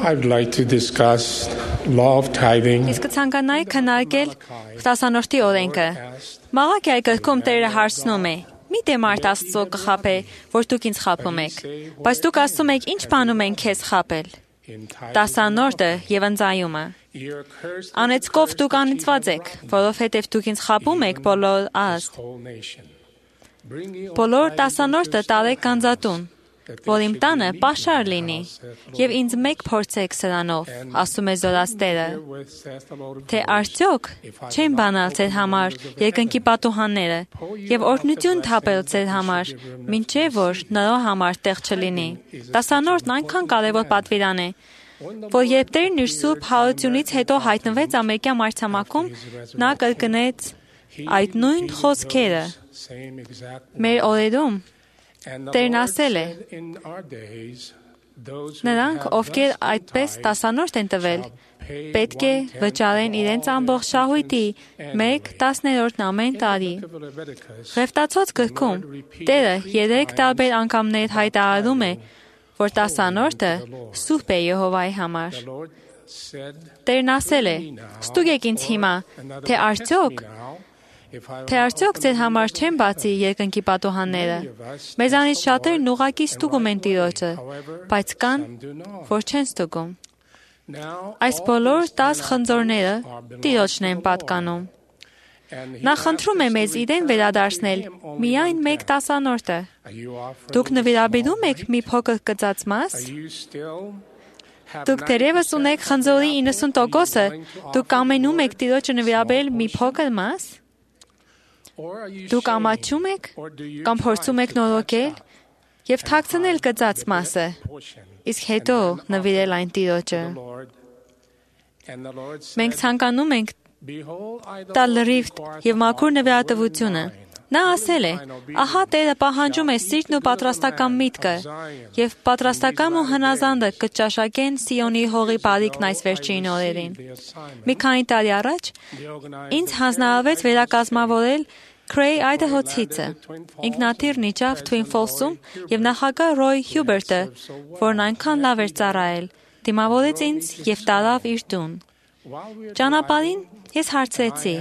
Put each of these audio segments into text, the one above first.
I would like to discuss law of tithing. Իսկ ցանկանայի քննարկել 10-րդի օրենքը։ Մաղաքիայի գրքում Տերը հարցնում է. «Մի՞թե մարդ Աստծո կխաբե, որ դուք ինձ խաբում եք, բայց դուք ասում եք, ինչ բանում են քեզ խաբել»։ 10-րդը եւ ընծայումը։ Անեծկով դուք անիծված եք, որովհետեւ դուք ինձ խաբում եք բոլոր ազգ։ Բոլոր 10-րդը տալեք գանձատուն, որ իմ տանը պաշար լինի, եւ ինձ մեկ փորձեք սրանով, ասում է Զորաց Տերը, թե արդյոք չեն բանալ ձեր համար երկնքի պատուհանները եւ օրհնություն թափել ձեր համար, մինչեւ որ նրա համար տեղ չլինի։ 10-րդն այնքան կարեւոր պատվիրան է, որ երբ Տերն իր սուրբ հարությունից հետո հայտնվեց ամերիկյան մայրցամաքում, նա կրկնեց այդ նույն խոսքերը։ Մեր օրերում Տերն ասել է. նրանք, ովքեր այդպես 10-րդ են տվել, պետք է վճարեն իրենց ամբողջ շահույթի 1/10 ամեն տարի։ Ղևտացոց գրքում Տերը 3 տարբեր անգամներ հայտարարում է, որ 10-րդը սուրբ է Եհովայի համար։ Տերն ասել է. «Ստուգեք ինձ հիմա, թե արդյոք ձեր համար չեն բացի երկնքի պատուհանները։ Մեզանից շատերն ուղղակի ստուգում են Տիրոջը, բայց կան, որ չեն ստուգում։ Այս բոլոր 10 խնձորները Տիրոջն են պատկանում։ Նա խնդրում է մեզ իրեն վերադարձնել միայն 1/10։ Դուք նվիրաբերում եք մի փոքր կծած մաս։ Դուք դեռևս ունեք խնձորի 90%-ը, դուք կամենում եք Տիրոջը նվիրաբերել մի փոքր մաս։ Դուք ամաչում եք կամ փորձում եք նորոգել եւ թաքցնել կծած մասը, իսկ հետո նվիրել այն Տիրոջը։ Մենք ցանկանում ենք տալ լրիվ եւ մաքուր նվիրատվությունը։ Նա ասել է. «Ահա Տերը պահանջում է սիրտն ու պատրաստական միտքը, եւ պատրաստական ու հնազանդը կճաշակեն Սիոնի հողի բարիքն այս վերջին օրերին»։ Մի քանի տարի առաջ ինձ հանձնարարվեց վերակազմավորել Քրեյ Այդահոցիցը։ Ինքնաթիռն իջավ Թվին Ֆոլսում եւ նախագահ Ռոյ Հյուբերտը, որն այնքան լավ էր ծառայել, դիմավորեց ինձ եւ տարավ իր տուն։ Ճանապարհին ես հարցրեցի.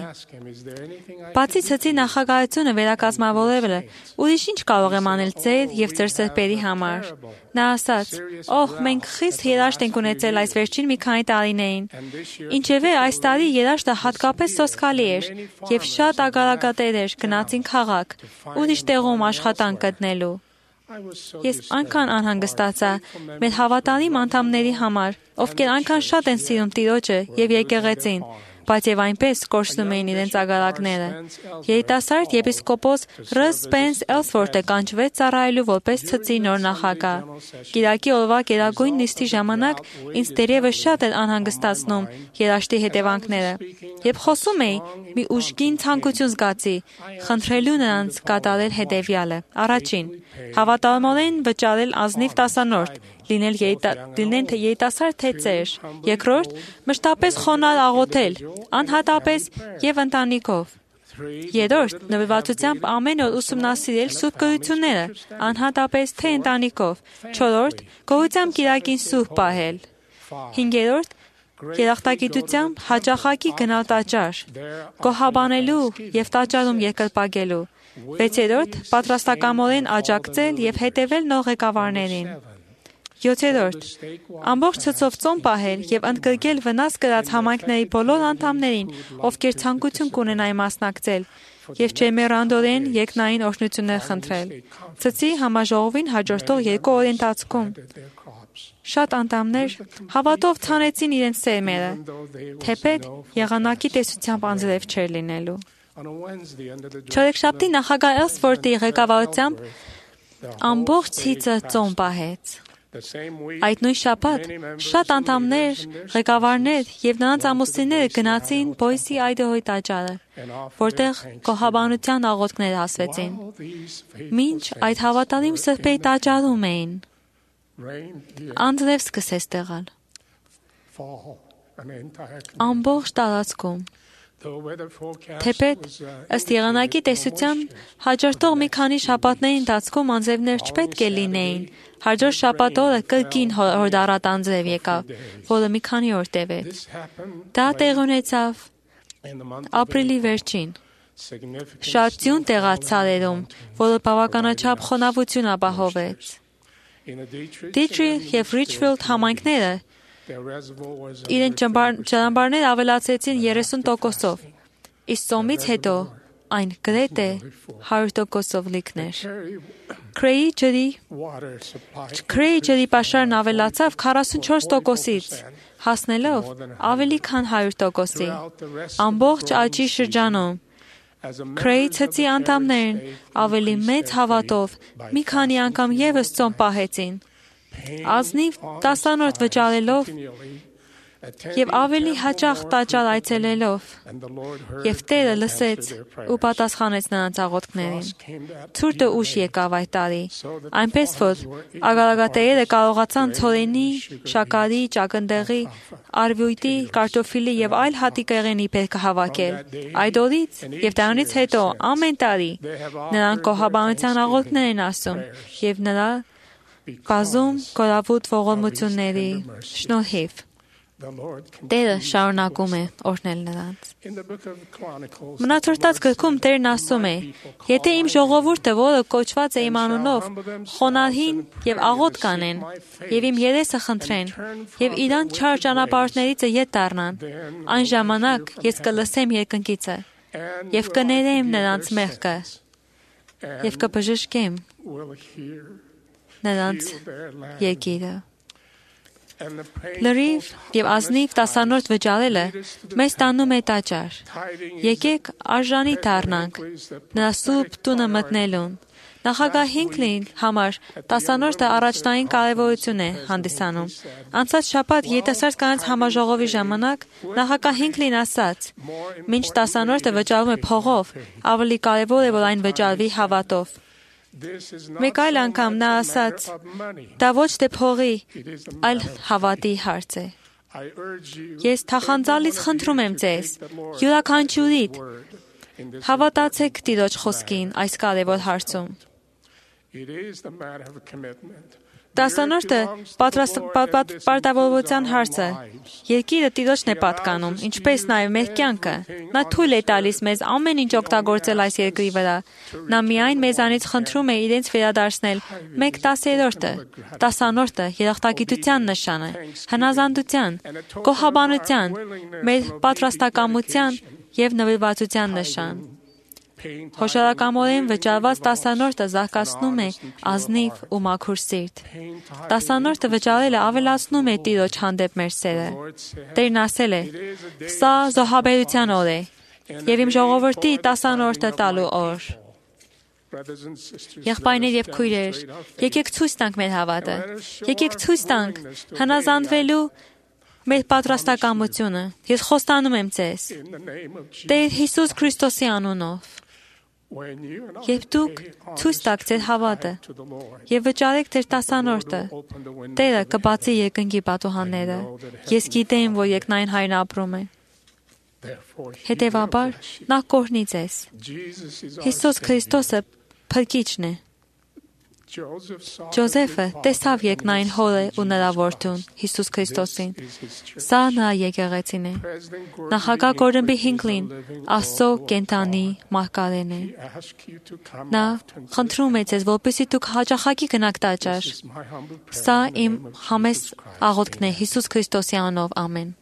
«Բացի ցցի նախագահությունը վերակազմավորելը, ուրիշ ինչ կարող եմ անել ձեր եւ ձեր սրբերի համար»։ Նա ասաց. «Օհ, մենք խիստ երաշտ ենք ունեցել այս վերջին մի քանի տարիներին։ Ինչևէ, այս տարի երաշտը հատկապես սոսկալի էր եւ շատ ագարակատերեր գնացին քաղաք, ուրիշ տեղում աշխատանք գտնելու։ Ես այնքան անհանգստացա մեր հավատարիմ անդամների համար, ովքեր այնքան շատ են սիրում Տիրոջը եւ եկեղեցին, բայց եւ այնպես կորցնում էին իրենց ագարակները։ Երիտասարդ եպիսկոպոս Ռ. Սպենս Էլսվորթը կանչվեց ծառայելու որպես ցցի նոր նախագահ։ Կիրակի օրվա գերագույն նիստի ժամանակ ինձ դեռևս շատ էր անհանգստացնում երաշտի հետևանքները։ Երբ խոսում էի, մի ուժգին ցանկություն զգացի, խնդրելու նրանց կատարել հետևյալը. առաջին, հավատարմորեն վճարել ազնիվ 10-րդ, լինեն թե երիտասարդ թե ծեր։ Երկրորդ, մշտապես խոնարհ աղոթել, անհատապես եւ ընտանիքով։ Երրորդ, նվիրվածությամբ ամեն օր ուսումնասիրել սուրբ գրությունները, անհատապես թե ընտանիքով։ Չորրորդ, գոհությամբ կիրակին սուրբ պահել։ Հինգերորդ, երախտագիտությամբ հաճախակի գնալ տաճար, գոհաբանելու եւ տաճարում երկրպագելու։ Վեցերորդ, պատրաստակամորեն աջակցել եւ հետևել նոր ղեկավարներին։ 7-րդ, ամբողջ ցցով ծոմ պահել եւ ընդգրկել վնաս կրած համայնքների բոլոր անդամներին, ովքեր ցանկություն կունենային մասնակցել, եւ ջերմեռանդորեն երկնային օրհնություններ խնդրել։ Ցցի համաժողովին հաջորդող 2 օրի ընթացքում շատ անդամներ հավատով ցանեցին իրենց սերմերը, թեպետ եղանակի տեսությամբ անձրև չէր լինելու։ Չորեքշաբթի նախագահ Էլսվորթի ղեկավարությամբ ամբողջ ցիծը ծոմ պահեց։ Այդ նույն շաբաթ շատ անդամներ, ղեկավարներ եւ նրանց ամուսինները գնացին Բոյսի Այդահոյի տաճարը, որտեղ գոհաբանության աղոթքներ ասվեցին։ Մինչ այդ հավատարիմ սրբերի տաճարում էին, անձրև սկսեց տեղալ։ Ամբողջ տարածքում Թեպետ ըստ եղանակի տեսության հաջորդող մի քանի շաբաթների ընթացքում անձևներ չպետք է լինեին։ Հաջորդ շաբաթ օրը կրկին հորդառատ անձև եկավ, որը մի քանի օր տևեց։ Դա տեղ ունեցավ ապրիլի վերջին։ Շատ ձյուն տեղաց ցալերում, որը բավականաչափ խոնավություն ապահովեց։ Դիթրիխ և Ռիչֆիլդ համայնքները իրենց ճանապարհները ավելացրեցին 30%-ով, իսկ ծոմից հետո այն գրեթե 100%-ով լիքներ։ Քրեի ջրի պաշարն ավելացավ 44%-ից, հասնելով ավելի քան 100%-ի։ Ամբողջ աճի շրջանում Քրեի ցծի անդամներն ավելի մեծ հավատով մի քանի անգամ ևս ծոմ պահեցին, ազնիվ տասանորդ վճարելով և ավելի հաճախ տաճար այցելելով, և Տերը լսեց ու պատասխանեց նրանց աղոթքներին։ Ցուրտը ուշ եկավ այդ տարի, այնպես որ ագարակատերերը կարողացան ցորենի, շաքարի, ճակնդեղի, արևույթի, կարտոֆիլի և այլ հատիկեղենի բերքը հավաքել։ Այդ օրից և դրանից հետո ամեն տարի նրանք կոհաբանության աղոթքներ են ասում և նրա բազում կորավուտ ողորմությունների շնորհիվ Տերը շարունակում է օրհնել նրանց։ Մնացորդաց գրքում Տերն ասում է. «Եթե իմ ժողովուրդը, որը կոչված է իմ անունով, խոնարհին և աղոթք կանեն, և իմ երեսը խնդրեն, և իրանց չար ճանապարհորդներից ետ դառնան, այն ժամանակ ես կլսեմ երկնքիցը, և կներեմ նրանց մեղքը, և կբժշկեմ նրանց երկիրը»։ Լրիվ և ազնիվ տասանորդ վճարելը մեզ տանում է տաճար։ Եկեք արժանի դառնանք նրա սուրբ տունը մտնելուն։ Նախագահ Հինքլիի համար տասանորդը առաջնային կարևորություն է հանդիսանում։ Անցած շաբաթ երիտասարդ կանանց համաժողովի ժամանակ նախագահ Հինքլին ասաց. «Մինչ տասանորդը վճարվում է փողով, ավելի կարևոր է, որ այն վճարվի հավատով»։ Մեկ այլ անգամ նա ասաց. «Դա ոչ թե փողի, այլ հավատի հարց է»։ Ես թախանձալից խնդրում եմ ձեզ, յուրաքանչյուրիդ, հավատացեք Տիրոջ խոսքին այս կարևոր հարցում։ Տասանորդը պարտավորության հարցը։ Երկիրը Տիրոջն է պատկանում, ինչպես նաև մեր կյանքը։ Նա թույլ է տալիս մեզ ամեն ինչ օգտագործել այս երկրի վրա։ Նա միայն մեզանից խնդրում է իրենց վերադարձնել 1/10-ը, տասանորդը երախտագիտության նշան է, հնազանդության, գոհաբանության, մեր պատրաստակամության և նվիրվածության նշան։ Հոշարակամորեն վճարված տասանորդը զարգացնում է ազնիվ ու մաքուր սիրտ։ Տասանորդը վճարելը ավելացնում է Տիրոջ հանդեպ մեր սերը։ Տերն ասել է. «Սա զոհաբերության օր է, և իմ ժողովրդի տասանորդը տալու օր»։ Եղբայրներ և քույրեր, եկեք ցույց տանք մեր հավատը։ Եկեք ցույց տանք հնազանդվելու մեր պատրաստակամությունը։ Ես խոստանում եմ ձեզ Տեր Հիսուս Քրիստոսի անունով, երբ դուք ցույց տաք ձեր հավատը և վճարեք ձեր տասանորդը, Տերը կբացի երկնքի պատուհանները։ Ես գիտեմ, որ երկնային Հայրն ապրում է։ Հետևաբար, նա կօրհնի ձեզ։ Հիսուս Քրիստոսը Փրկիչն է։ Ջոզեֆը տեսավ երկնային Հորը ու նրա որդուն Հիսուս Քրիստոսին։ Սա նրա եկեղեցին է։ Նախագահ Գորդոն B. Հինքլին Աստծո կենդանի մարգարեն է։ Նա խնդրում է ձեզ, որպեսզի դուք հաճախակի գնաք տաճար։ Սա իմ համեստ աղոթքն է Հիսուս Քրիստոսի անունով։ Ամեն։